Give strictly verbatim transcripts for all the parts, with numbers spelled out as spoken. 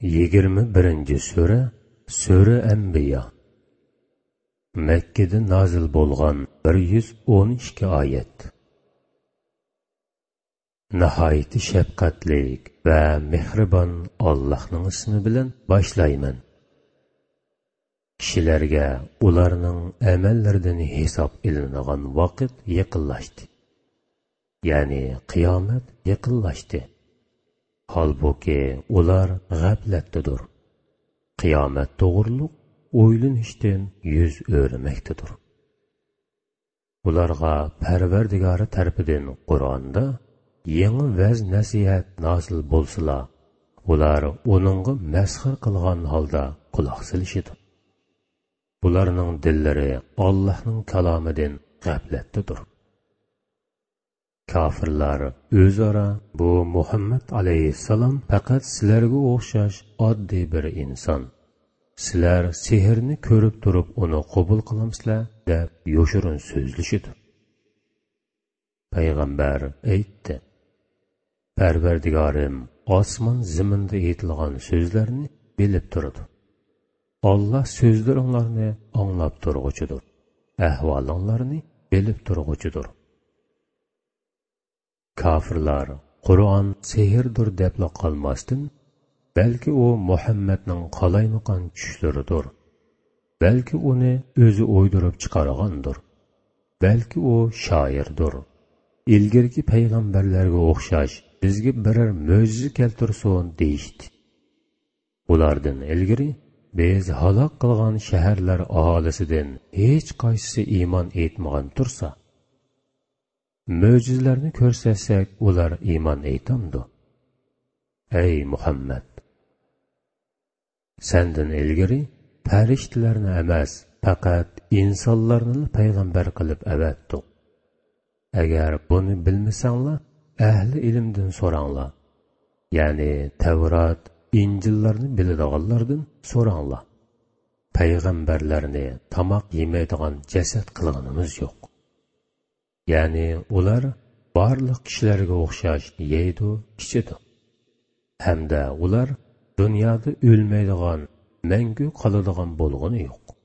يىگىرمە بىرىنچى سۈرە، سۈرە ئەنبىيا. مەككىدە نازىل بولغان، بىر يۈز ئون ئىككى ئايەت. ناھايىتى شەپقەتلىك ۋە مېھرىبان ئاللاھنىڭ ئىسمى بىلەن باشلايمەن. كىشىلەرگە ئۇلارنىڭ ئەمەللىرىدىن ھېساب ئېلىنىدىغان ۋاقىت يېقىنلاشتى. يەنى قىيامەت يېقىنلاشتى. ھالبۇكى، ئۇلار غەپلەتتىدۇر. قىيامەت توغرۇلۇق ئويلىنىشتىن يۈز ئۆرۈمەكتىدۇر. ئۇلارغا پەرۋەردىگارى تەرىپىدىن قۇرئاندا يېڭى ۋەز-نەسىھەت نازىل بولسىلا، ئۇلار ئۇنىڭغا مەسخىرە قىلغان ھالدا قۇلاق سېلىشىدۇ. ئۇلارنىڭ دىللىرى ئاللاھنىڭ كالامىدىن غەپلەتتىدۇر. كاپىرلار ئۆزئارا: «بۇ مۇھەممەد ئەلەيھىسسالام پەقەت سىلەرگە ئوخشاش ئاددىي بىر ئىنسان. سىلەر سېھىرنى كۆرۈپ تۇرۇپ ئۇنى قوبۇل قىلامسىلەر؟» دەپ يوشۇرۇن سۆزلىشىدۇ. پەيغەمبەر ئېيتتى: «پەرۋەردىگارىم ئاسمان زېمىندا ئېيتىلغان سۆزلەرنى بىلىپ تۇرىدۇ. ئاللا سۆزلىرىڭلارنى ئاڭلاپ تۇرغۇچىدۇر، ئەھۋالىڭلارنى بىلىپ تۇرغۇچىدۇر.» كاپىرلار قۇرئان سېھىردۇر دەپلا قالماستىن، بەلكى ئۇ مۇھەممەدنىڭ قالايمىقان چۈشلىرىدۇر، بەلكى ئۇنى ئۆزى ئويدۇرۇپ چىقارغاندۇر، بەلكى ئۇ شائىردۇر، ئىلگىرىكى پەيغەمبەرلەرگە ئوخشاش بىزگە بىرەر مۆجىزە كەلتۈرسۇن دېيىشتى. ئۇلاردىن ئىلگىرى بىز ھالاك قىلغان شەھەرلەر ئاھالىسىدىن ھېچقايسىسى ئىمان ئېيتمىغان تۇرسا، مۆجىزىلەرنى كۆرسەتسەك، ئۇلار ئىمان ئېيتامدۇ؟ ئەي مۇھەممەد! سەندىن ئىلگىرى پەرىشتىلەرنى ئەمەس، پەقەت ئىنسانلارنىلا پەيغەمبەر قىلىپ ئەۋەتتۇق. ئەگەر بۇنى بىلمىسەڭلار، ئەھلى ئىلىمدىن سوراڭلار. يەنى تەۋرات، ئىنجىللارنى بىلىدىغانلاردىن سوراڭلار. پەيغەمبەرلەرنى تاماق يېمەيدىغان جەسەت قىلغىنىمىز يوق. يەنى ئۇلار بارلىق كىشىلەرگە ئوخشاش يەيدۇ، ئىچىدۇ. ھەمدە ئۇلار دۇنيادا ئۆلمەيدىغان، مەڭگۈ قالىدىغان بولغىنى يوق.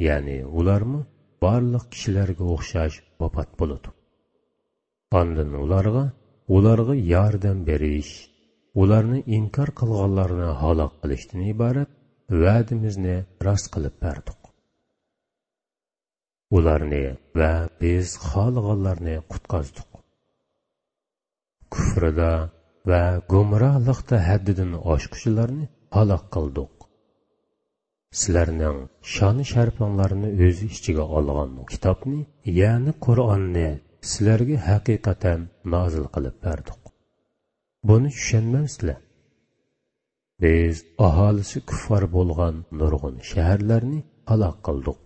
يەنى ئۇلارمۇ بارلىق كىشىلەرگە ئوخشاش ۋاپات بولىدۇ. ئاندىن ئۇلارغا، ئۇلارغا ياردەم بېرىش، ئۇلارنى ئىنكار قىلغانلارنى ھالاك قىلىشتىن ئىبارەت ۋەدىمىزنى راست قىلىپ بەردۇق. ئۇلارنى ۋە بىز خالىغانلارنى قۇتقۇزدۇق. كۇفرىدا ۋە گۇمراھلىقتا ھەددىدىن ئاشقۇچىلارنى ھالاك قىلدۇق. سىلەرنىڭ شان-شەرىپىڭلارنى ئۆز ئىچىگە ئالغان كىتابنى، يەنى قۇرئاننى سىلەرگە ھەقىقەتەن نازىل قىلىپ بەردۇق. بۇنى چۈشەنمەمسىلەر؟ بىز ئاھالىسى كۇففار بولغان نۇرغۇن شەھەرلەرنى ھالاك قىلدۇق.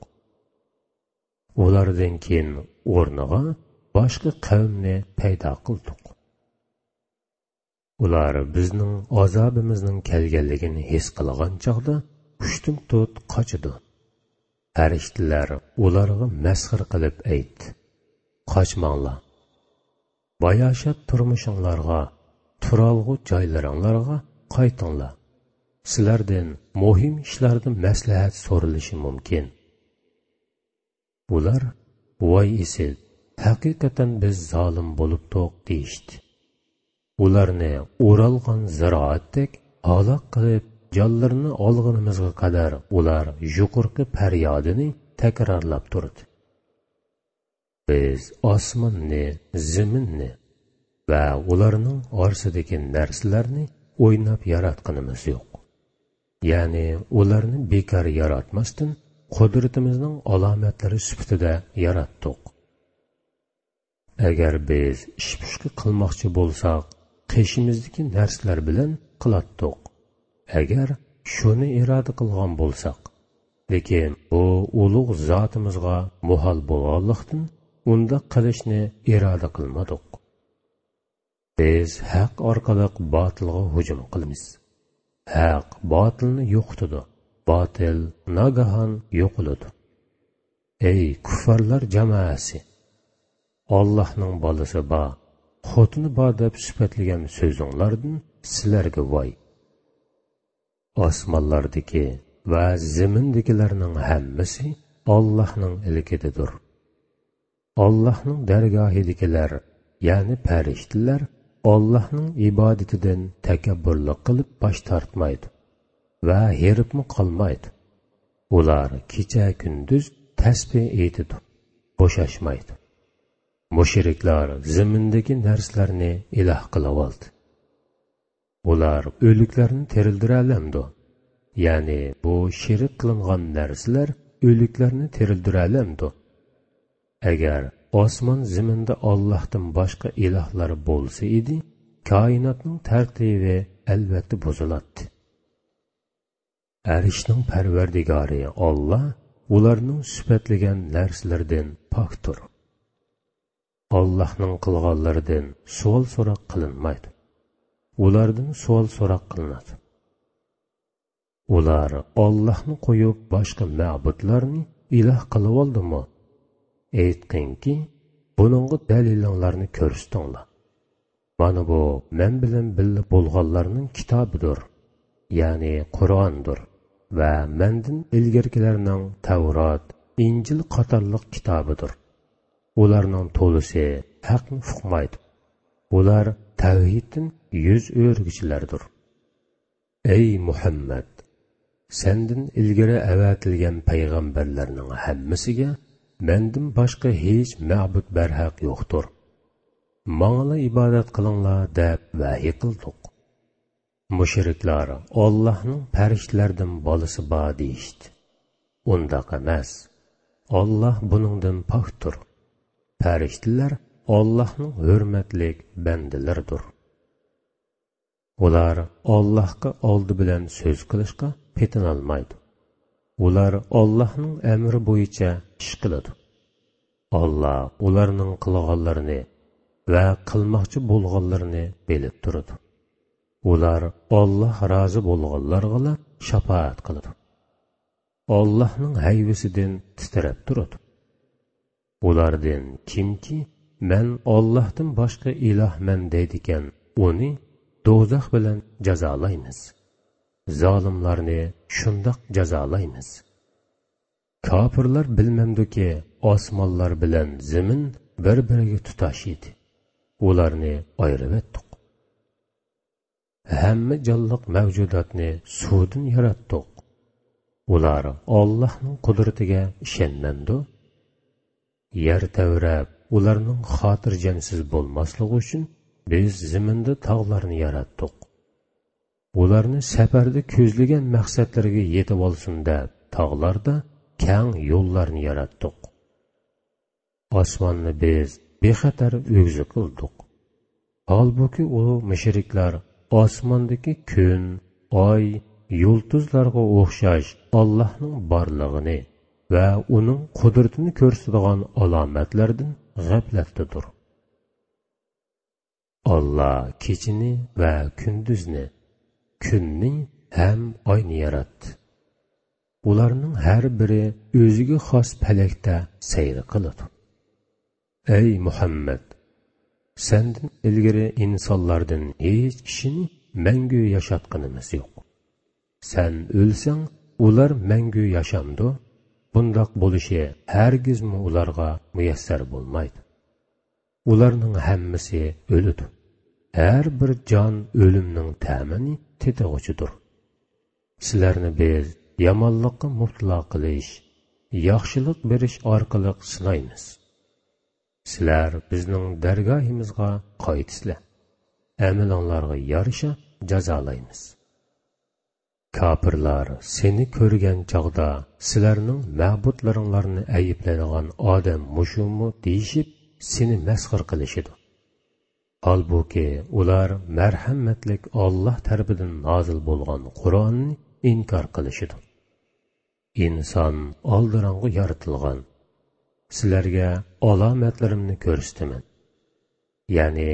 ئۇلاردىن كېيىن ئورنىغا باشقا قەۋمنى پەيدا قىلدۇق. ئۇلار بىزنىڭ ئازابىمىزنىڭ كەلگەنلىكىنى ھېس قىلغان چاغدا ئۇشتۇمتۇت قاچىدۇ. پەرىشتىلەر ئۇلارغا مەسخىرە قىلىپ ئېيتتى: «قاچماڭلار. باياشات تۇرمۇشۇڭلارغا، تۇرالغۇ جايلىرىڭلارغا قايتىڭلار. سىلەردىن مۇھىم ئىشلاردا مەسلىھەت سورىلىشى مۇمكىن.» ئۇلار: «ۋاي ئېسىل، ھەقىقەتەن بىز زالىم بولۇپتۇق» دېيىشتى. ئۇلارنى ئورالغان زىرائەتتەك ھالاك قىلىپ، جانلىرىنى ئالغىنىمىزغا قەدەر ئۇلار يۇقىرىقى پەريادىنى تەكرارلاپ تۇردى. بىز ئاسماننى، زېمىننى ۋە ئۇلارنىڭ ئارىسىدىكى نەرسىلەرنى ئويناپ ياراتقىنىمىز يوق. يەنى ئۇلارنى بىكار ياراتماستىن، قۇدرىتىمىزنىڭ ئالامەتلىرى سۈپىتىدە ياراتتۇق. ئەگەر بىز ئىش-پۇشكى قىلماقچى بولساق، قېشىمىزدىكى نەرسىلەر بىلەن قىلاتتۇق. ئەگەر شۇنى ئىرادە قىلغان بولساق، لېكىن بۇ ئۇلۇغ زاتىمىزغا مۇھال بولغانلىقتىن، ئۇنداق قىلىشنى ئىرادە قىلمىدۇق. بىز ھەق ئارقىلىق باتىلغا ھۇجۇم قىلىمىز. ھەق باتىلنى يوقىتىدۇ، باتىل ناگاھان يوقىلىدۇ. ئەي كۇففارلار جامائەسى! ئاللاھنىڭ بالىسى بار، خوتۇنى بار دەپ سۈپەتلىگەن سۆزۈڭلاردىن سىلەرگە ۋاي! ئاسمانلاردىكى ۋە زېمىندىكىلەرنىڭ ھەممىسى ئاللاھنىڭ ئىلكىدىدۇر. ئاللاھنىڭ دەرگاھىدىكىلەر، يەنى پەرىشتىلەر، ئاللاھنىڭ ئىبادىتىدىن تەكەببۇرلۇق قىلىپ باش تارتمايدۇ ۋە ھېرىپمۇ قالمايدۇ. ئۇلار كېچە-كۈندۈز تەسبىھ ئېيتىدۇ، بوشاشمايدۇ. مۇشرىكلار زېمىندىكى نەرسىلەرنى ئىلاھ قىلىۋالدى. ئۇلار ئۆلۈكلەرنى تىرىلدۈرەلەمدۇ؟ يەنى بۇ شېرىك قىلىنغان نەرسىلەر ئۆلۈكلەرنى تىرىلدۈرەلەمدۇ؟ ئەگەر ئاسمان زېمىندا ئاللاھتىن باشقا ئىلاھلار بولسا ئىدى، كائىناتنىڭ تەرتىبى ئەلۋەتتە بۇزۇلاتتى. ئەرشنىڭ پەرۋەردىگارى ئاللا ئۇلارنىڭ سۈپەتلىگەن نەرسىلىرىدىن پاكتۇر. ئاللاھنىڭ قىلغانلىرىدىن سوئال-سوراق قىلىنمايدۇ. ئۇلاردىن سوئال-سوراق قىلىنىدۇ. ئۇلار ئاللاھنى قويۇپ باشقا مەبۇدلارنى ئىلاھ قىلىۋالدىمۇ؟ ئېيتقىنكى، بۇنىڭغا دەلىلىڭلارنى كۆرسىتىڭلار. مانا بۇ مەن بىلەن بىللە بولغانلارنىڭ كىتابىدۇر، يەنى قۇرئاندۇر، ۋە مەندىن ئىلگىرىكىلەرنىڭ تەۋرات، ئىنجىل قاتارلىق كىتابىدۇر. ئۇلارنىڭ تولىسى ھەقنى ئۇقمايدۇ. ئۇلار تەۋھىدتىن يۈز ئۆرۈگۈچىلەردۇر. ئەي مۇھەممەد! سەندىن ئىلگىرى ئەۋەتىلگەن پەيغەمبەرلەرنىڭ ھەممىسىگە مەندىن باشقا ھېچ مەبۇد بەرھەق يوقتۇر. ماڭىلا ئىبادەت قىلىڭلار دەپ ۋەھىي قىلدۇق. مۇشرىكلار ئاللاھنىڭ پەرىشتىلەردىن بالىسى بار دېيىشتى. ئۇنداق ئەمەس. ئاللاھ بۇنىڭدىن پاكتۇر. پەرىشتىلەر ئاللاھنىڭ ھۆرمەتلىك بەندىلىرىدۇر. ئۇلار ئاللاھقا ئالدى بىلەن سۆز قىلىشقا پېتىنالمايدۇ. ئۇلار ئاللاھنىڭ ئەمرى بويىچە ئىش قىلىدۇ. ئاللاھ ئۇلارنىڭ قىلغانلىرىنى ۋە قىلماقچى بولغانلىرىنى بىلىپ تۇرىدۇ. ئۇلار ئاللاھ رازى بولغانلارغىلا شاپائەت قىلىدۇ. ئاللاھنىڭ ھەيۋىسىدىن تىترەپ تۇرىدۇ. ئۇلاردىن كىمكى «مەن ئاللاھتىن باشقا ئىلاھمەن» دەيدىكەن، ئۇنى دوزاخ بىلەن جازالايمىز. زالىملارنى شۇنداق جازالايمىز. كاپىرلار بىلمەمدۇكى، ئاسمانلار بىلەن زېمىن بىر-بىرىگە تۇتاش ئىدى. ئۇلارنى ئايرىۋەتتۇق. ھەممە جانلىق مەۋجۇداتنى سۇدىن ياراتتۇق. ئۇلار ئاللاھنىڭ قۇدرىتىگە ئىشەنمەمدۇ؟ يەر تەۋرەپ، ئۇلارنىڭ خاتىرجەمسىز بولماسلىقى ئۈچۈن بىز زېمىندا تاغلارنى ياراتتۇق. ئۇلارنى سەپەردە كۆزلىگەن مەقسەتلىرىگە يېتىۋالسۇن دەپ، تاغلاردا كەڭ يوللارنى ياراتتۇق. ئاسماننى بىز بىخەتەر ئۆگزە قىلدۇق. ھالبۇكى، ئۇ مۇشرىكلار ئاسماندىكى كۈن، ئاي، يۇلتۇزلارغا ئوخشاش ئاللاھنىڭ بارلىقىنى ۋە ئۇنىڭ قۇدرىتىنى كۆرسىتىدىغان ئالامەتلەردىن غەپلەتتىدۇر. ئاللاھ كېچىنى ۋە كۈندۈزنى، كۈننى ھەم ئاينى ياراتتى. ئۇلارنىڭ ھەر بىرى ئۆزىگە خاس پەلەكتە سەير قىلىدۇ. ئەي مۇھەممەد! سەندىن ئىلگىرى ئىنسانلاردىن ھېچ كىشىنى مەڭگۈ ياشاتقىنىمىز يوق. سەن ئۆلسەڭ، ئۇلار مەڭگۈ ياشامدۇ؟ بۇنداق بولۇشى ھەرگىزمۇ ئۇلارغا مۇيەسسەر بولمايدۇ. ئۇلارنىڭ ھەممىسى ئۆلىدۇ. ھەر بىر جان ئۆلۈمنىڭ تەمىنى تېتىغۇچىدۇر. سىلەرنى بىز يامانلىققا مۇپتىلا قىلىش، ياخشىلىق بېرىش ئارقىلىق سىنايمىز. سىلەر بىزنىڭ دەرگاھىمىزغا قايتىسىلەر. ئەمىلىڭلارغا يارىشا جازالايمىز. كاپىرلار سېنى كۆرگەن چاغدا سىلەرنىڭ مەبۇدلىرىڭلارنى ئەيىبلەيدىغان ئادەم مۇشۇمۇ دېيىشىپ، سېنى مەسخىرە قىلىشىدۇ. ھالبۇكى، ئۇلار مەرھەمەتلىك ئاللاھ تەرىپىدىن نازىل بولغان قۇرئاننى ئىنكار قىلىشىدۇ. ئىنسان ئالدىراڭغۇ يارىتىلغان. سىلەرگە ئالامەتلىرىمنى كۆرسىتىمەن. يەنى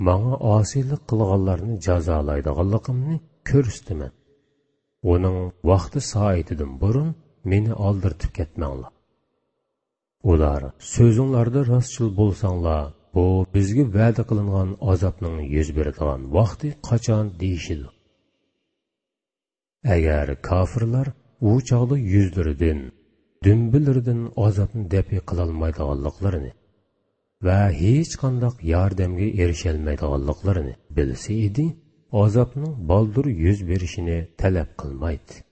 ماڭا ئاسىيلىق قىلغانلارنى جازالايدىغانلىقىمنى كۆرسىتىمەن. ئۇنىڭ ۋاقتى سائىتىدىن بۇرۇن مېنى ئالدىرىتىپ كەتمەڭلار. ئۇلار، سۆزۈڭلاردا راستچىل بولساڭلار، بۇ بىزگە ۋەدە قىلىنغان ئازابنىڭ يۈز بېرىدىغان ۋاقتى قاچان دېيىشىدۇ. ئەگەر كاپىرلار ئۇ چاغدا يۈزلىرىدىن، دۈمبىلىرىدىن ئازابنى دەپئى قىلالمايدىغانلىقلىرىنى ۋە ھېچقانداق ياردەمگە ئېرىشەلمەيدىغانلىقلىرىنى بىلسە ئىدى، ئازابنىڭ بالدۇر يۈز بېرىشىنى تەلەپ قىلمايتتى.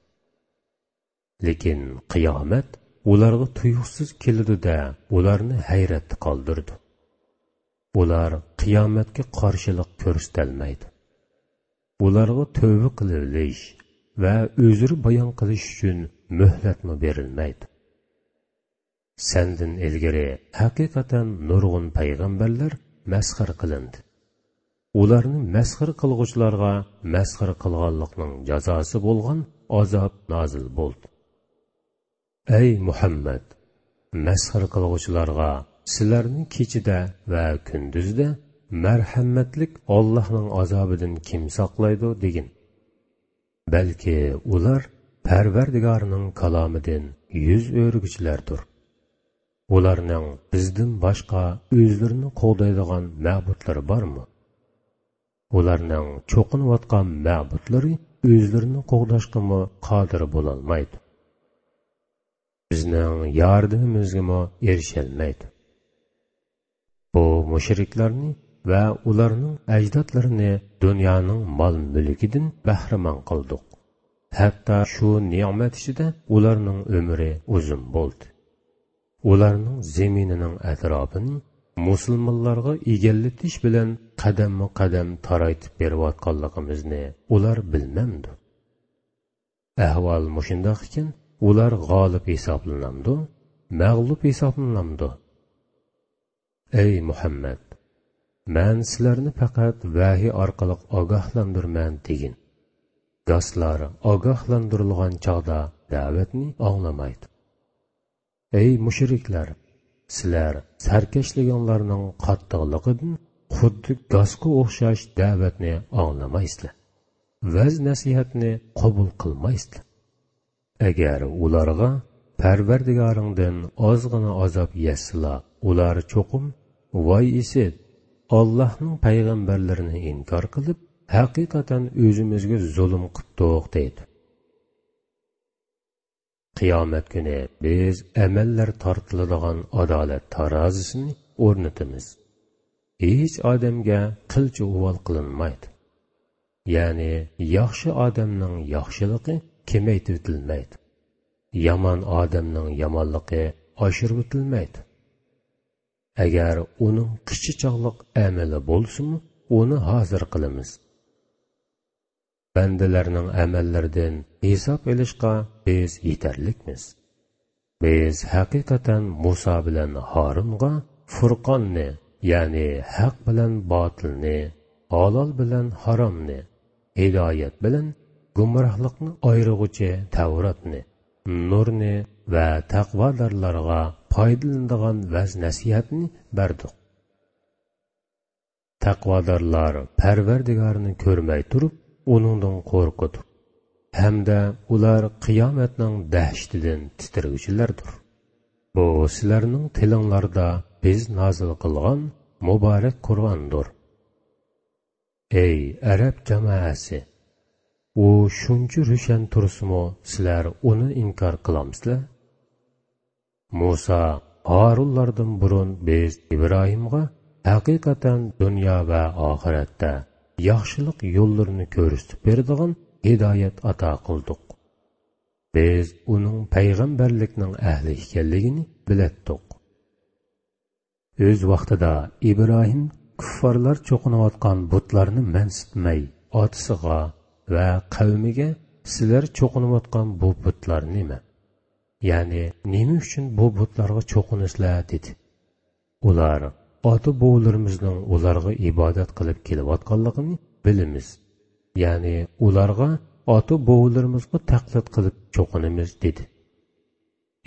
لېكىن قىيامەت ئۇلارغا تۇيۇقسىز كېلىدۇ-دە، ئۇلارنى ھەيرەتتە قالدۇرىدۇ. ئۇلار قىيامەتكە قارشىلىق كۆرسىتەلمەيدۇ. ئۇلارغا تۆۋە قىلىۋېلىش ۋە ئۆزرە بايان قىلىش ئۈچۈن مۆھلەتمۇ بېرىلمەيدۇ. سەندىن ئىلگىرى ھەقىقەتەن نۇرغۇن پەيغەمبەرلەر مەسخىرە قىلىندى. ئۇلارنى مەسخىرە قىلغۇچىلارغا مەسخىرە قىلغانلىقنىڭ جازاسى بولغان ئازاب نازىل بولدى. ئەي مۇھەممەد! مەسخىرە قىلغۇچىلارغا سىلەرنى كېچىدە ۋە كۈندۈزدە مەرھەمەتلىك ئاللاھنىڭ ئازابىدىن كىم ساقلايدۇ دېگىن. بەلكى ئۇلار پەرۋەردىگارىنىڭ كالامىدىن يۈز ئۆرۈگۈچىلەردۇر. ئۇلارنىڭ بىزدىن باشقا ئۆزلىرىنى قوغدايدىغان مەبۇدلىرى بارمۇ؟ ئۇلارنىڭ چوقۇنۇۋاتقان مەبۇدلىرى ئۆزلىرىنى قوغداشقىمۇ قادىر بولالمايدۇ. بىزنىڭ ياردىمىمىزگىمۇ ئېرىشەلمەيدۇ. بۇ مۇشرىكلارنى ۋە ئۇلارنىڭ ئەجدادلىرىنى دۇنيانىڭ مال-مۈلكىدىن بەھرىمەن قىلدۇق. ھەتتا شۇ نېمەت ئىچىدە ئۇلارنىڭ ئۆمرى ئۇزۇن بولدى. ئۇلارنىڭ زېمىنىنىڭ ئەتراپىنى مۇسۇلمانلارغا ئىگىلىتىش بىلەن قەدەممۇ قەدەم تارايتىپ بېرىۋاتقانلىقىمىزنى ئۇلار بىلمەمدۇ؟ ئەھۋال مۇشۇنداق ئىكەن، ئۇلار غالىب ھېسابلىنامدۇ، مەغلۇپ ھېسابلىنامدۇ؟ ئەي مۇھەممەد! مەن سىلەرنى پەقەت ۋەھىي ئارقىلىق ئاگاھلاندۇرىمەن دېگىن. گاسلار ئاگاھلاندۇرۇلغان چاغدا دەۋەتنى ئاڭلىمايدۇ. ئەي مۇشرىكلار! سىلەر سەركەشلىكىڭلارنىڭ قاتتىقلىقىدىن خۇددى گاسقا ئوخشاش دەۋەتنى ئاڭلىمايسىلەر. ۋەز-نەسىھەتنى قوبۇل قىلمايسىلەر. ئەگەر ئۇلارغا پەرۋەردىگارىڭدىن ئازغىنا ئازاب يەتسىلا، ئۇلار چوقۇم، ۋاي ئىسىت، ئاللاھنىڭ پەيغەمبەرلىرىنى ئىنكار قىلىپ، ھەقىقەتەن ئۆزىمىزگە زۇلۇم قىپتۇق دەيدۇ. قىيامەت كۈنى بىز ئەمەللەر تارتىلىدىغان ئادالەت تارازىسىنى ئورنىتىمىز. ھېچ ئادەمگە قىلچە ئۇۋال قىلىنمايدۇ. يەنى ياخشى ئادەمنىڭ ياخشىلىقى كېمەيتىۋېتىلمەيدۇ. يامان ئادەمنىڭ يامانلىقى ئاشۇرۇۋېتىلمەيدۇ. ئەگەر ئۇنىڭ قىچا چاغلىق ئەمىلى بولسىمۇ، ئۇنى ھازىر قىلىمىز. بەندىلەرنىڭ ئەمەللىرىدىن ھېساب ئېلىشقا بىز يېتەرلىكمىز. بىز ھەقىقەتەن مۇسا بىلەن ھارۇنغا فۇرقاننى، يەنى ھەق بىلەن باتىلنى، ھالال بىلەن ھارامنى، ھىدايەت بىلەن گۇمراھلىقنى ئايرىغۇچى تەۋراتنى، نۇرنى ۋە تەقۋادارلارغا پايدىلىنىدىغان ۋەز-نەسىھەتنى بەردۇق. تەقۋادارلار پەرۋەردىگارىنى كۆرمەي تۇرۇپ، ئۇنىڭدىن قورقىدۇ ھەمدە ئۇلار قىيامەتنىڭ دەھشىتىدىن تىترىگۈچىلەردۇر. بۇ سىلەرنىڭ تىلىڭلاردا بىز نازىل قىلغان مۇبارەك قۇرئاندۇر. ئەي ئەرەب جامائەسى! ئۇ شۇنچە روشەن تۇرسىمۇ، سىلەر ئۇنى ئىنكار قىلامسىلەر؟ مۇسا، ھارۇنلاردىن بۇرۇن بىز ئىبراھىمغا ھەقىقەتەن دۇنيا ۋە ئاخىرەتتە ياخشىلىق يوللىرىنى كۆرسىتىپ بېرىدىغان ھىدايەت ئاتا قىلدۇق. بىز ئۇنىڭ پەيغەمبەرلىكنىڭ ئەھلى ئىكەنلىكىنى بىلەتتۇق. ئۆز ۋاقتىدا ئىبراھىم كۇففارلار چوقۇنۇۋاتقان بۇتلارنى مەنسىتمەي، ئاتىسىغا ۋە قەۋمىگە، سىلەر چوقۇنۇۋاتقان بۇ بۇتلار نېمە؟ يەنى نېمە ئۈچۈن بۇ بۇتلارغا چوقۇنىسىلەر؟ دېدى. ئۇلار، ئاتا-بوۋىلىرىمىزنىڭ ئۇلارغا ئىبادەت قىلىپ كېلىۋاتقانلىقىنى بىلىمىز. يەنى ئۇلارغا ئاتا-بوۋىلىرىمىزغا تەقلىد قىلىپ چوقۇنىمىز، دېدى.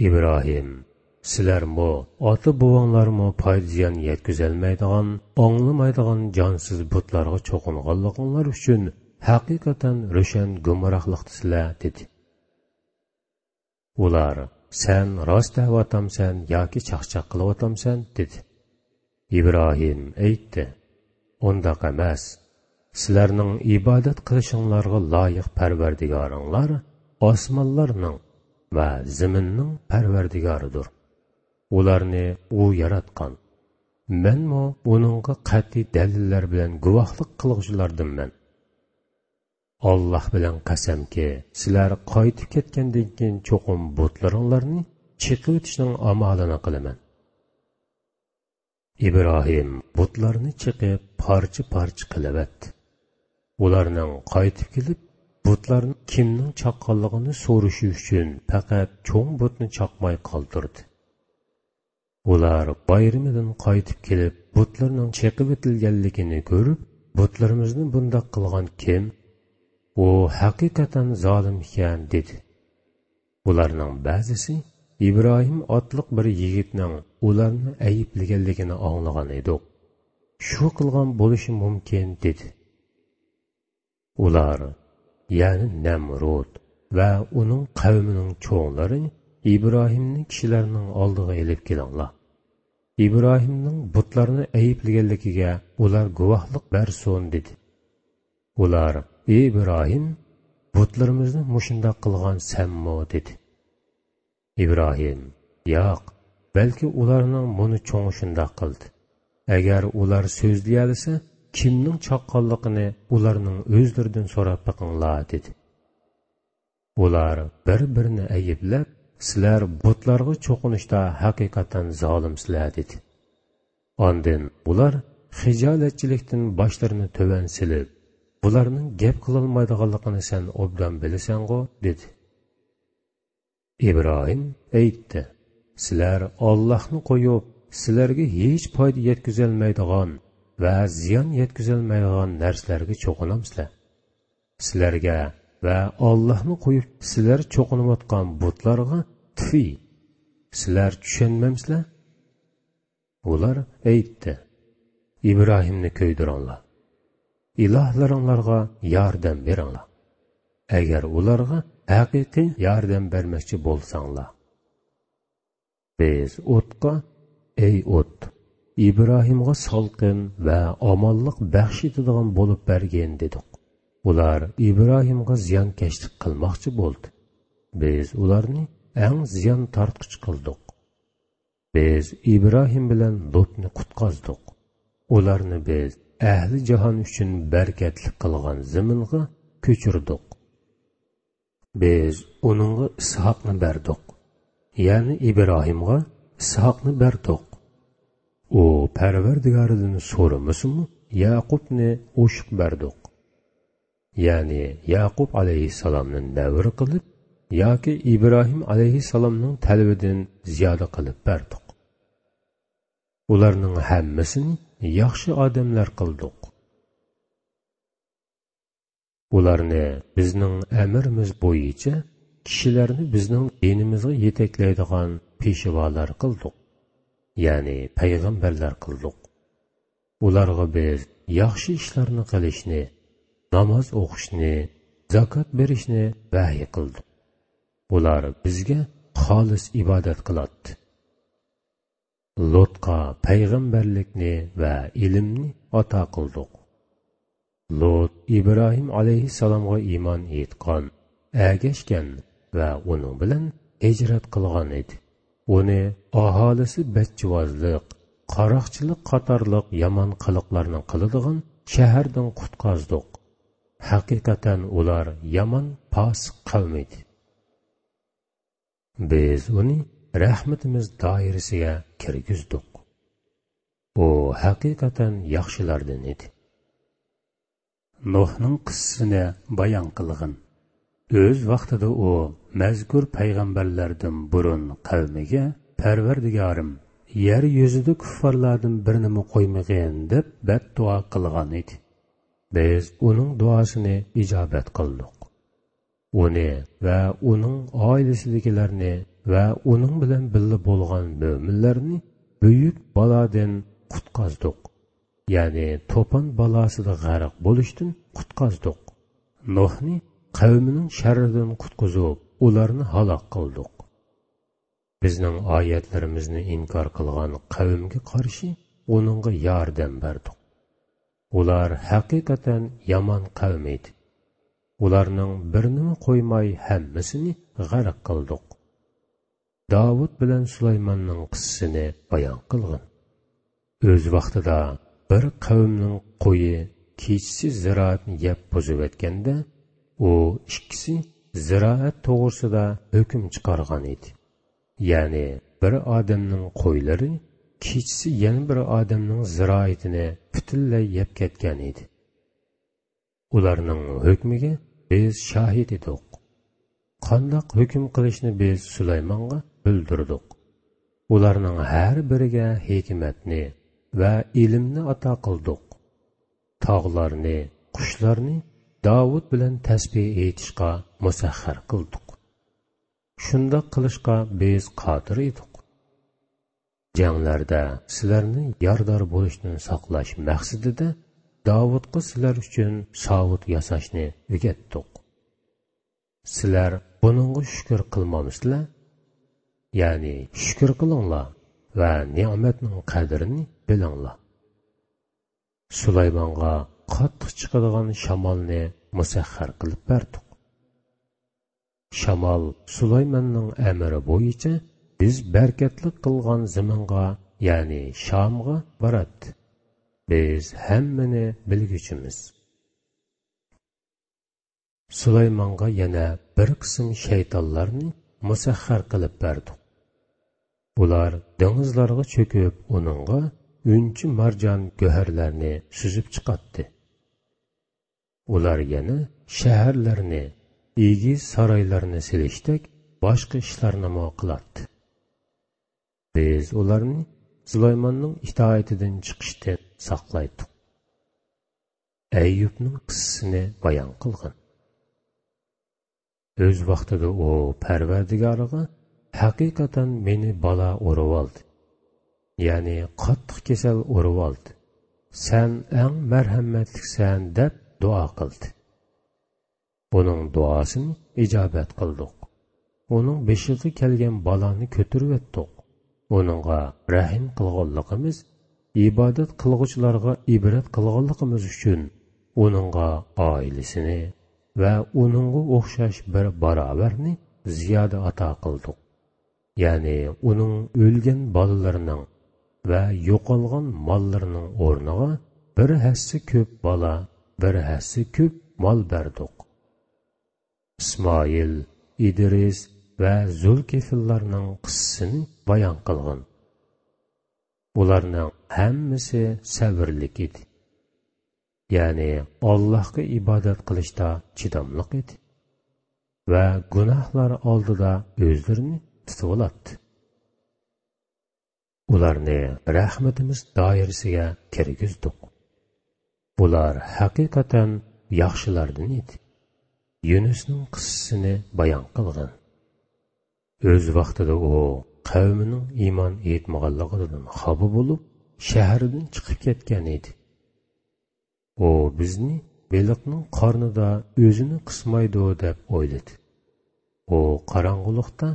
ئىبراھىم، سىلەرمۇ، ئاتا-بوۋاڭلارمۇ پايدا-زىيان يەتكۈزەلمەيدىغان، ئاڭلىمايدىغان جانسىز بۇتلارغا چوقۇنغانلىقىڭلار ئۈچۈن ھەقىقەتەن روشەن گۇمراھلىقتىسىلەر، دېدى. ئۇلار، سەن راست دەۋاتامسەن ياكى چاقچاق قىلىۋاتامسەن؟ دېدى. ئىبراھىم ئېيتتى، ئۇنداق ئەمەس. سىلەرنىڭ ئىبادەت قىلىشىڭلارغا لايىق پەرۋەردىگارىڭلار ئاسمانلارنىڭ ۋە زېمىننىڭ پەرۋەردىگارىدۇر. ئۇلارنى ئۇ ياراتقان. مەنمۇ ئۇنىڭغا قەتئىي دەلىللەر بىلەن گۇۋاھلىق قىلغۇچىلاردىنمەن. ئاللاھ بىلەن قەسەمكى، سىلەر قايتىپ كەتكەندىن كېيىن چوقۇم بۇتلىرىڭلارنى چېقىۋېتىشنىڭ ئامالىنى قىلىمەن. ئىبراھىم بۇتلارنى چېقىپ پارچە-پارچە قىلىۋەتتى. ئۇلارنىڭ قايتىپ كېلىپ، بۇتلارنى كىمنىڭ چاققانلىقىنى سورىشى ئۈچۈن پەقەت چوڭ بۇتنى چاقماي قالدۇردى. ئۇلار بايرىمىدىن قايتىپ كېلىپ، بۇتلىرىنىڭ چېقىۋېتىلگەنلىكىنى كۆرۈپ، بۇتلىرىمىزنى بۇنداق قىلغان كىم؟ ئۇ ھەقىقەتەن زالىم ئىكەن، دېدى. ئۇلارنىڭ بەزىسى، ئىبراھىم ئاتلىق بىر يىگىتنىڭ ئۇلارنى ئەيىبلىگەنلىكىنى ئاڭلىغان ئىدۇق. شۇ قىلغان بولۇشى مۇمكىن، دېدى. ئۇلار، يەنى نەمرۇد ۋە ئۇنىڭ قەۋمىنىڭ چوڭلىرى ئىبراھىمنى كىشىلەرنىڭ ئالدىغا ئېلىپ كېلىڭلار. ئىبراھىمنىڭ بۇتلارنى ئەيىبلىگەنلىكىگە ئۇلار گۇۋاھلىق بەرسۇن، دېدى. ئۇلار، ئى ئىبراھىم، بۇتلىرىمىزنى مۇشۇنداق قىلغان سەنمۇ؟ دېدى. ئىبراھىم، ياق، بەلكى ئۇلارنىڭ مۇنۇ چوڭى شۇنداق قىلدى. ئەگەر ئۇلار سۆزلىيەلىسە، كىمنىڭ چاققانلىقىنى ئۇلارنىڭ ئۆزلىرىدىن سوراپ بېقىڭلار، دېدى. ئۇلار بىر-بىرىنى ئەيىبلەپ، سىلەر بۇتلارغا چوقۇنۇشتا ھەقىقەتەن زالىمسىلەر، دېدى. ئاندىن ئۇلار خىجالەتچىلىكتىن باشلىرىنى تۆۋەن سېلىپ، بۇلارنىڭ گەپ قىلالمايدىغانلىقىنى سەن ئوبدان بىلىسەنغۇ؟ دېدى. ئىبراھىم ئېيتتى، سىلەر ئاللاھنى قويۇپ، سىلەرگە ھېچ پايدا يەتكۈزەلمەيدىغان ۋە زىيان يەتكۈزەلمەيدىغان نەرسىلەرگە چوقۇنامسىلەر؟ سىلەرگە ۋە ئاللاھنى قويۇپ سىلەر چوقۇنۇۋاتقان بۇتلارغا تفى، سىلەر چۈشەنمەمسىلەر؟ ئۇلار ئېيتتى، ئىبراھىمنى كۆيدۈرۈڭلار، ئىلاھلىرىڭلارغا ياردەم بېرىڭلار، ئەگەر ئۇلارغا ھەقىقىي ياردەم بەرمەكچى بولساڭلار. بىز ئوتقا، ئەي ئوت، ئىبراھىمغا سالقىن ۋە ئامانلىق بەخش ئېتىدىغان بولۇپ بەرگىن، دېدۇق. ئۇلار ئىبراھىمغا زىيانكەشلىك قىلماقچى بولدى. بىز ئۇلارنى ئەڭ زىيان تارتقۇچى قىلدۇق. بىز ئىبراھىم بىلەن لۇتنى قۇتقازدۇق. ئۇلارنى بىز ئەھلى جاھان ئۈچۈن بەرىكەتلىك قىلغان زېمىنغا كۆچۈردۇق. بىز ئۇنىڭغا ئىسھاقنى بەردۇق، يەنى ئىبراھىمغا ئىسھاقنى بەردۇق. ئۇ پەرۋەردىگارىدىن سورىمىسىمۇ، يەقۇبنى ئوشۇق بەردۇق. يەنى يەقۇب ئەلەيھىسسالامنى نەۋرە قىلىپ ياكى ئىبراھىم ئەلەيھىسسالامنىڭ تەلىپىدىن زىيادە قىلىپ بەردۇق. ئۇلارنىڭ ھەممىسىنى ياخشى ئادەملەر قىلدۇق. ئۇلارنى بىزنىڭ ئەمرىمىز بويىچە كىشىلەرنى بىزنىڭ دىنىمىزغا يېتەكلەيدىغان پېشۋالار قىلدۇق، يەنى پەيغەمبەرلەر قىلدۇق. ئۇلارغا بىز ياخشى ئىشلارنى قىلىشنى، ناماز ئوقۇشنى، زاكات بېرىشنى ۋەھىي قىلدۇق. ئۇلار بىزگە خالىس ئىبادەت قىلاتتى. لۇتقا پەيغەمبەرلىكنى ۋە ئىلىمنى ئاتا قىلدۇق. لۇت ئىبراھىم ئەلەيھىسسالامغا ئىمان ئېيتقان، ئەگەشكەن ۋە ئۇنىڭ بىلەن ھىجرەت قىلغان ئىدى. ئۇنى ئاھالىسى بەچچىۋازلىق، قاراقچىلىق قاتارلىق يامان قىلىقلارنى قىلىدىغان شەھەردىن قۇتقازدۇق. ھەقىقەتەن ئۇلار يامان پاسىق قەۋم ئىدى. بىز ئۇنى رەھمىتىمىز دائىرىسىگە كىرگۈزدۇق. ئۇ ھەقىقەتەن ياخشىلاردىن ئىدى. نۇھنىڭ قىسسىسىنى بايان قىلغىن. ئۆز ۋاقتىدا ئۇ مەزكۇر پەيغەمبەرلەردىن بۇرۇن قەۋمىگە، پەرۋەردىگارىم، يەر يۈزىدە كۇففارلاردىن بىرىنىمۇ قويمىغىن، دەپ بەتدۇئا قىلغان ئىدى. بىز ئۇنىڭ دۇئاسىنى ئىجابەت قىلدۇق. ئۇنى ۋە ئۇنىڭ ئائىلىسىدىكىلەرنى ۋە ئۇنىڭ بىلەن بىللە بولغان مۆمىنلەرنى بۈيۈك بالادىن قۇتقازدۇق، يەنى توپان بالاسىدا غەرق بولۇشتىن قۇتقازدۇق. نۇھنى قەۋمىنىڭ شەررىدىن قۇتقۇزۇپ، ئۇلارنى ھالاك قىلدۇق. بىزنىڭ ئايەتلىرىمىزنى ئىنكار قىلغان قەۋمگە قارشى ئۇنىڭغا ياردەم بەردۇق. ئۇلار ھەقىقەتەن يامان قەۋم ئىدى. ئۇلارنىڭ بىرىنىمۇ قويماي ھەممىسىنى غەرق قىلدۇق. داۋۇت بىلەن سۇلايماننىڭ قىسسىسىنى بايان قىلغىن. ئۆز ۋاقتىدا بىر قەۋمنىڭ قويى كېچىسى زىرائەتنى يەپ بۇزۇۋەتكەندە، ئۇ ئىككىسى زىرائەت توغرىسىدا ھۆكۈم چىقارغان ئىدى. يەنى بىر ئادەمنىڭ قويلىرى كېچىسى يەنە بىر ئادەمنىڭ زىرائىتىنى پۈتۈنلەي يەپ كەتكەن ئىدى. ئۇلارنىڭ ھۆكمىگە بىز شاھىت ئىدۇق. قانداق ھۆكۈم قىلىشنى بىز سۇلايمانغا بىلدۈردۇق. ئۇلارنىڭ ھەر بىرىگە ھېكمەتنى ۋە ئىلىمنى ئاتا قىلدۇق. تاغلارنى، قۇشلارنى داۋۇت بىلەن تەسبىھ ئېيتىشقا مۇسەخخەر قىلدۇق. شۇنداق قىلىشقا بىز قادىر ئىدۇق. جەڭلەردە سىلەرنى يارىدار بولۇشتىن ساقلاش مەقسىتىدە داۋۇتقا سىلەر ئۈچۈن ساۋۇت ياساشنى ئۆگەتتۇق. سىلەر بۇنىڭغا شۈكۈر قىلمامسىلەر؟ يەنى شۈكۈر قىلىڭلار ۋە نېمەتنىڭ قەدرىنى بىلىڭلار. سۇلايمانغا قاتتىق چىقىدىغان شامالنى مۇسەخخەر قىلىپ بەردۇق. شامال سۇلايماننىڭ ئەمرى بويىچە بىز بەرىكەتلىك قىلغان زېمىنغا، يەنى شامغا باراتتى. بىز ھەممىنى بىلگۈچىمىز. سۇلايمانغا يەنە بىر قىسىم شەيتانلارنى مۇسەخخەر قىلىپ بەردۇق. ئۇلار دېڭىزلارغا چۆكۈپ، ئۇنىڭغا ئۈنچە مارجان گۆھەرلەرنى سۈزۈپ چىقاتتى. ئۇلار يەنە شەھەرلەرنى، ئېگىز سارايلارنى سېلىشتەك باشقا ئىشلارنىمۇ قىلاتتى. بىز ئۇلارنى سۇلايماننىڭ ئىتائىتىدىن چىقىشتىن ساقلايتتۇق. ئەييۇبنىڭ قىسسىسىنى بايان قىلغىن. ئۆز ۋاقتىدا ئۇ پەرۋەردىگارىغا، ھەقىقەتەن مېنى بالا ئۇرۇۋالدى، يەنى قاتتىق كېسەل ئۇرۇۋالدى، سەن ئەڭ مەرھەمەتلىكسەن، دەپ دۇئا قىلدى. ئۇنىڭ دۇئاسىنى ئىجابەت قىلدۇق. ئۇنىڭ بېشىغا كەلگەن بالانى كۆتۈرۈۋەتتۇق. ئۇنىڭغا رەھىم قىلغانلىقىمىز، ئىبادەت قىلغۇچىلارغا ئىبرەت قىلغانلىقىمىز ئۈچۈن ئۇنىڭغا ئائىلىسىنى ۋە ئۇنىڭغا ئوخشاش بىر باراۋەرنى زىيادە ئاتا قىلدۇق. يەنى ئۇنىڭ ئۆلگەن بالىلىرىنىڭ ۋە يوقالغان ماللىرىنىڭ ئورنىغا بىر ھەسسە كۆپ بالا، بىر ھەسسە كۆپ مال بەردۇق. ئىسمائىل، ئىدرىس ۋە زۇلكىفللارنىڭ قىسسىسىنى بايان قىلغىن. ئۇلارنىڭ ھەممىسى سەۋرلىك ئىدى. يەنى ئاللاھقا ئىبادەت قىلىشتا چىداملىق ئىدى ۋە گۇناھلار ئالدىدا ئۆزلىرىنى تۇتۇۋالاتتى. ئۇلارنى رەھمىتىمىز دائىرىسىگە كىرگۈزدۇق. بۇلار ھەقىقەتەن ياخشىلاردىن ئىدى. يۇنۇسنىڭ قىسسىسىنى بايان قىلغىن. ئۆز ۋاقتىدا ئۇ قەۋمىنىڭ ئىمان ئېيتمىغانلىقىدىن خاپا بولۇپ، شەھەردىن چىقىپ كەتكەن ئىدى. ئۇ بىزنى بېلىقنىڭ قارنىدا ئۆزىنى قىسمايدۇ دەپ ئويلىدى. ئۇ قاراڭغۇلۇقتا،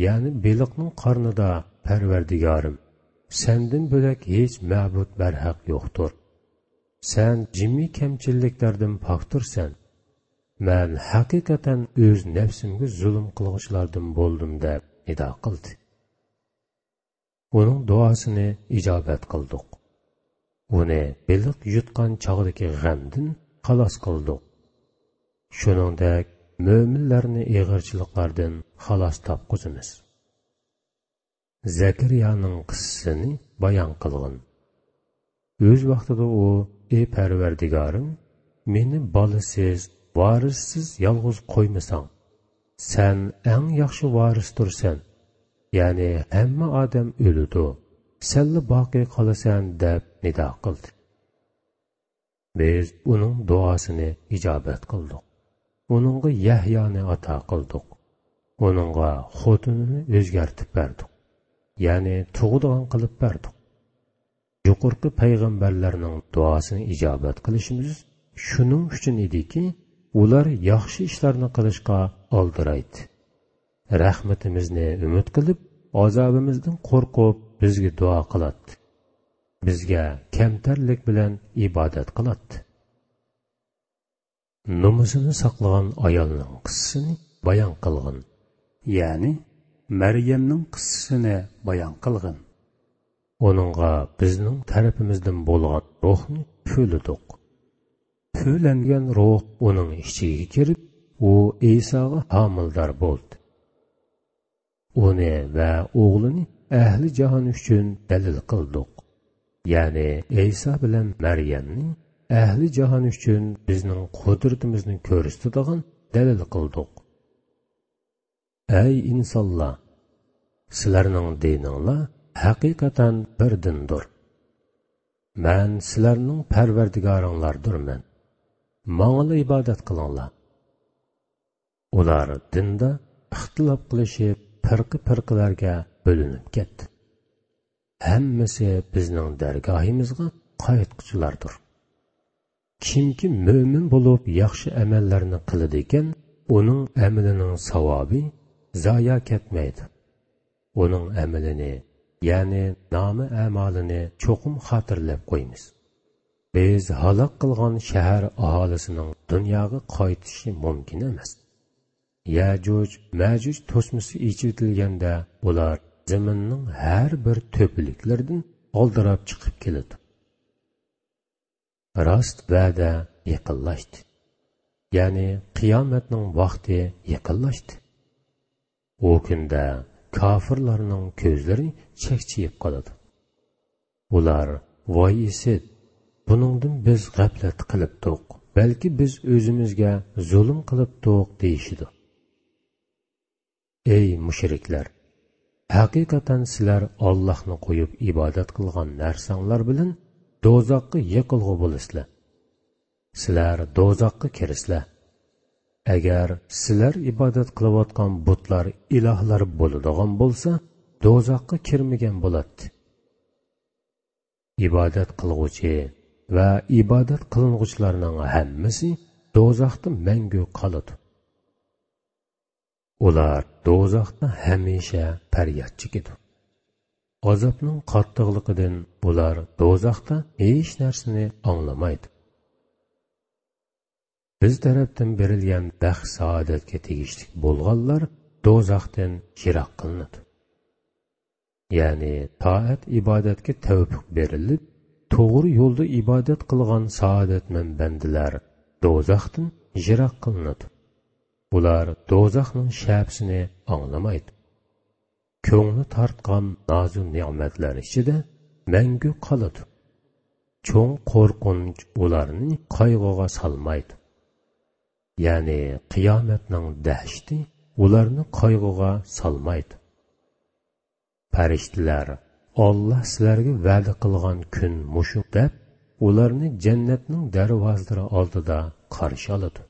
يەنى بېلىقنىڭ قارنىدا، پەرۋەردىگارىم، سەندىن بۆلەك ھېچ مەبۇد بەرھەق يوقتۇر. سەن جىمى كەمچىللىكلەردىن پاكتۇرسەن. مەن ھەقىقەتەن ئۆز نەپسىمگە زۇلۇم قىلغۇچىلاردىن بولدۇم، دەپ نىدا قىلدى. ئۇنىڭ دۇئاسىنى ئىجابەت قىلدۇق. ئۇنى بېلىق يۇتقان چاغدىكى غەمدىن خالاس قىلدۇق. شۇنىڭدەك مۆمىنلەرنى ئېغىرچىلىقلاردىن خالاس تاپقۇزىمىز. زەكەرىيانىڭ قىسسىسىنى بايان قىلغىن. ئۆز ۋاقتىدا ئۇ، ئى پەرۋەردىگارىم، مېنى بالىسىز، ۋارىسسىز يالغۇز قويمىساڭ، سەن ئەڭ ياخشى ۋارىستۇرسەن، يەنى ھەممە ئادەم ئۆلىدۇ، سەنلا باقىي قالىسەن، دەپ نىدا قىلدى. بىز ئۇنىڭ دۇئاسىنى ئىجابەت قىلدۇق. ئۇنىڭغا يەھيانى ئاتا قىلدۇق. ئۇنىڭغا خوتۇنىنى ئۆزگەرتىپ بەردۇق، يەنى تۇغىدىغان قىلىپ بەردۇق. يۇقىرىقى پەيغەمبەرلەرنىڭ دۇئاسىنى ئىجابەت قىلىشىمىز شۇنىڭ ئۈچۈن ئىدىكى، ئۇلار ياخشى ئىشلارنى قىلىشقا ئالدىرايتتى. رەھمىتىمىزنى ئۈمىد قىلىپ، ئازابىمىزدىن قورقۇپ، بىزگە دۇئا قىلاتتى. بىزگە كەمتەرلىك بىلەن ئىبادەت قىلاتتى. نومۇسىنى ساقلىغان ئايالنىڭ قىسسىسىنى بايان قىلغىن. يەنى مەريەمنىڭ قىسسىسىنى بايان قىلغىن. ئۇنىڭغا بىزنىڭ تەرىپىمىزدىن بولغان روھنى پۈۋلىدۇق. پۈۋلەنگەن روھ ئۇنىڭ ئىچىگە كىرىپ، ئۇ ئىساغا ھامىلىدار بولدى. ئۇنى ۋە ئوغلىنى ئەھلى جاھان ئۈچۈن دەلىل قىلدۇق. يەنى ئەيسا بىلەن مەريەمنى ئەھلى جاھان ئۈچۈن بىزنىڭ قۇدرىتىمىزنى كۆرسىتىدىغان دەلىل قىلدۇق. ئەي ئىنسانلار! سىلەرنىڭ دىنىڭلار ھەقىقەتەن بىر دىندۇر. مەن سىلەرنىڭ پەرۋەردىگارىڭلاردۇرمەن. ماڭىلا ئىبادەت قىلىڭلار. ئۇلار دىندا ئىختىلاپ قىلىشىپ، پىرقە-پىرقىلەرگە بۆلۈنۈپ كەتتى. ھەممىسى بىزنىڭ دەرگاھىمىزغا قايتقۇچىلاردۇر. كىمكى مۆمىن بولۇپ ياخشى ئەمەللەرنى قىلىدىكەن، ئۇنىڭ ئەمىلىنىڭ ساۋابى زايا كەتمەيدۇ. ئۇنىڭ ئەمىلىنى، يەنى نامە ئەمالىنى چوقۇم خاتىرىلەپ قويىمىز. بىز ھالاك قىلغان شەھەر ئاھالىسىنىڭ دۇنياغا قايتىشى مۇمكىن ئەمەس. يەجۇج، مەجۇج توسمىسى ئېچىۋېتىلگەندە، ئۇلار زېمىننىڭ ھەر بىر تۆپىلىكلىرىدىن ئالدىراپ چىقىپ كېلىدۇ. راست ۋەدە يېقىنلاشتى. يەنى قىيامەتنىڭ ۋاقتى يېقىنلاشتى. ئۇ كۈندە كاپىرلارنىڭ كۆزلىرى چەكچىيىپ قالىدۇ. ئۇلار، ۋاي ئىسىت! بۇنىڭدىن بىز غەپلەت قىلىپتۇق. بەلكى بىز ئۆزىمىزگە زۇلۇم قىلىپتۇق، دېيىشىدۇ. ئەي مۇشرىكلار! ھەقىقەتەن سىلەر ئاللاھنى قويۇپ ئىبادەت قىلغان نەرسەڭلار بىلەن دوزاخقا يېقىلغۇ بولىسىلەر. سىلەر دوزاخقا كىرىسىلەر. ئەگەر سىلەر ئىبادەت قىلىۋاتقان بۇتلار ئىلاھلار بولىدىغان بولسا، دوزاخقا كىرمىگەن بولاتتى. ئىبادەت قىلغۇچى ۋە ئىبادەت قىلىنغۇچىلارنىڭ ھەممىسى دوزاختا مەڭگۈ قالىدۇ. ئۇلار دوزاختا ھەمىشە پەرياد چېكىدۇ. ئازابنىڭ قاتتىقلىقىدىن ئۇلار دوزاختا ھېچ نەرسىنى ئاڭلىمايدۇ. بىز تەرەپتىن بېرىلگەن بەخت-سائادەتكە تېگىشلىك بولغانلار دوزاختىن يىراق قىلىنىدۇ. يەنى تائەت-ئىبادەتكە تەۋپىق بېرىلىپ، توغرا يولدا ئىبادەت قىلغان سائادەتمەن بەندىلەر دوزاختىن يىراق قىلىنىدۇ. ئۇلار دوزاخنىڭ شەپىسىنى ئاڭلىمايدۇ. كۆڭلى تارتقان نازۇ نېمەتلەر ئىچىدە مەڭگۈ قالىدۇ. چوڭ قورقۇنچ ئۇلارنى قايغۇغا سالمايدۇ. يەنى قىيامەتنىڭ دەھشىتى ئۇلارنى قايغۇغا سالمايدۇ. پەرىشتىلەر، ئاللا سىلەرگە ۋەدە قىلغان كۈن مۇشۇ، دەپ، ئۇلارنى جەننەتنىڭ دەرۋازىلىرى ئالدىدا قارشى ئالىدۇ.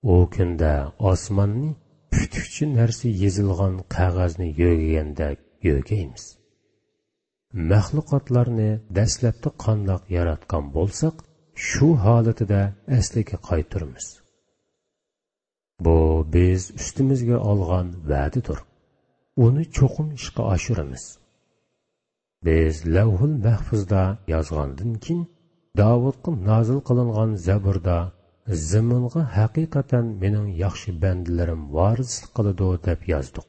ئۇ كۈندە ئاسماننى پۈتۈكچە نەرسە يېزىلغان قەغەزنى يۆگىگەندەك يۆگەيمىز. مەخلۇقاتلارنى دەسلەپتە قانداق ياراتقان بولساق، شۇ ھالىتىدە ئەسلىگە قايتۇرىمىز. بۇ بىز ئۈستىمىزگە ئالغان ۋەدىدۇر. ئۇنى چوقۇم ئىشقا ئاشۇرىمىز. بىز لەۋھۇل مەھفۇزدا يازغاندىن كېيىن، داۋۇتقا نازىل قىلىنغان زەبۇردا، زېمىنغا ھەقىقەتەن مېنىڭ ياخشى بەندىلىرىم ۋارىسلىق قىلىدۇ، دەپ يازدۇق.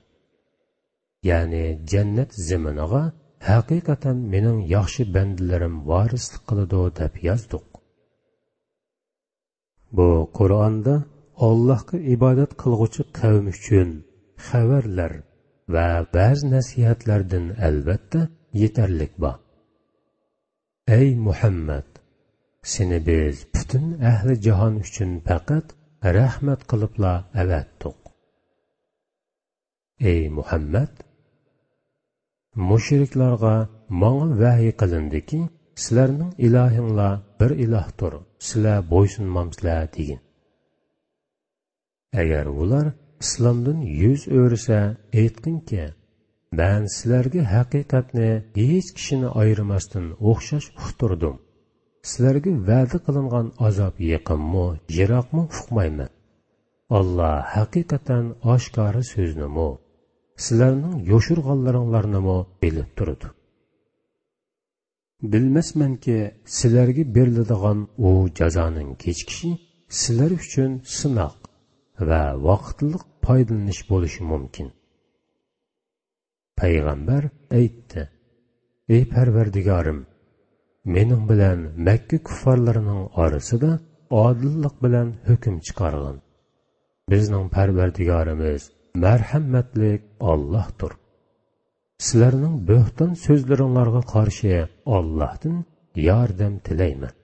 يەنى جەننەت زېمىنىغا ھەقىقەتەن مېنىڭ ياخشى بەندىلىرىم ۋارىسلىق قىلىدۇ، دەپ يازدۇق. بۇ قۇرئاندا ئاللاھقا ئىبادەت قىلغۇچى قەۋم ئۈچۈن خەۋەرلەر ۋە ۋەز-نەسىھەتلەردىن ئەلۋەتتە يېتەرلىك بار. ئەي مۇھەممەد! سېنى بىز پۈتۈن ئەھلى جاھان ئۈچۈن پەقەت رەھمەت قىلىپلا ئەۋەتتۇق. ئەي مۇھەممەد! مۇشرىكلارغا، ماڭا ۋەھىي قىلىندىكى، سىلەرنىڭ ئىلاھىڭلار بىر ئىلاھتۇر، سىلەر بويسۇنمامسىلەر، دېگىن. ئەگەر ئۇلار ئىسلامدىن يۈز ئۆرۈسە، ئېيتقىنكى، مەن سىلەرگە ھەقىقەتنى ھېچ كىشىنى ئايرىماستىن ئوخشاش ئۇقتۇردۇم. سىلەرگە ۋەدە قىلىنغان ئازاب يېقىنمۇ، يىراقمۇ ئۇقمايمەن. ئاللا ھەقىقەتەن ئاشكارا سۆزنىمۇ، سىلەرنىڭ يوشۇرغانلىرىڭلارنىمۇ بىلىپ تۇرىدۇ. بىلمەسمەنكى، سىلەرگە بېرىلىدىغان ئۇ جازانىڭ كېچىكىشى سىلەر ئۈچۈن سىناق ۋە ۋاقىتلىق پايدىلىنىش بولۇشى مۇمكىن. پەيغەمبەر ئېيتتى: «ئەي پەرۋەردىگارىم، مېنىڭ بىلەن مەككە كۇففارلىرىنىڭ ئارىسىدا ئادىللىق بىلەن ھۆكۈم چىقارغىن. بىزنىڭ پەرۋەردىگارىمىز مەرھەمەتلىك ئاللاھتۇر. سىلەرنىڭ بۆھتان سۆزلىرىڭلارغا قارشى ئاللاھتىن ياردەم تىلەيمەن.»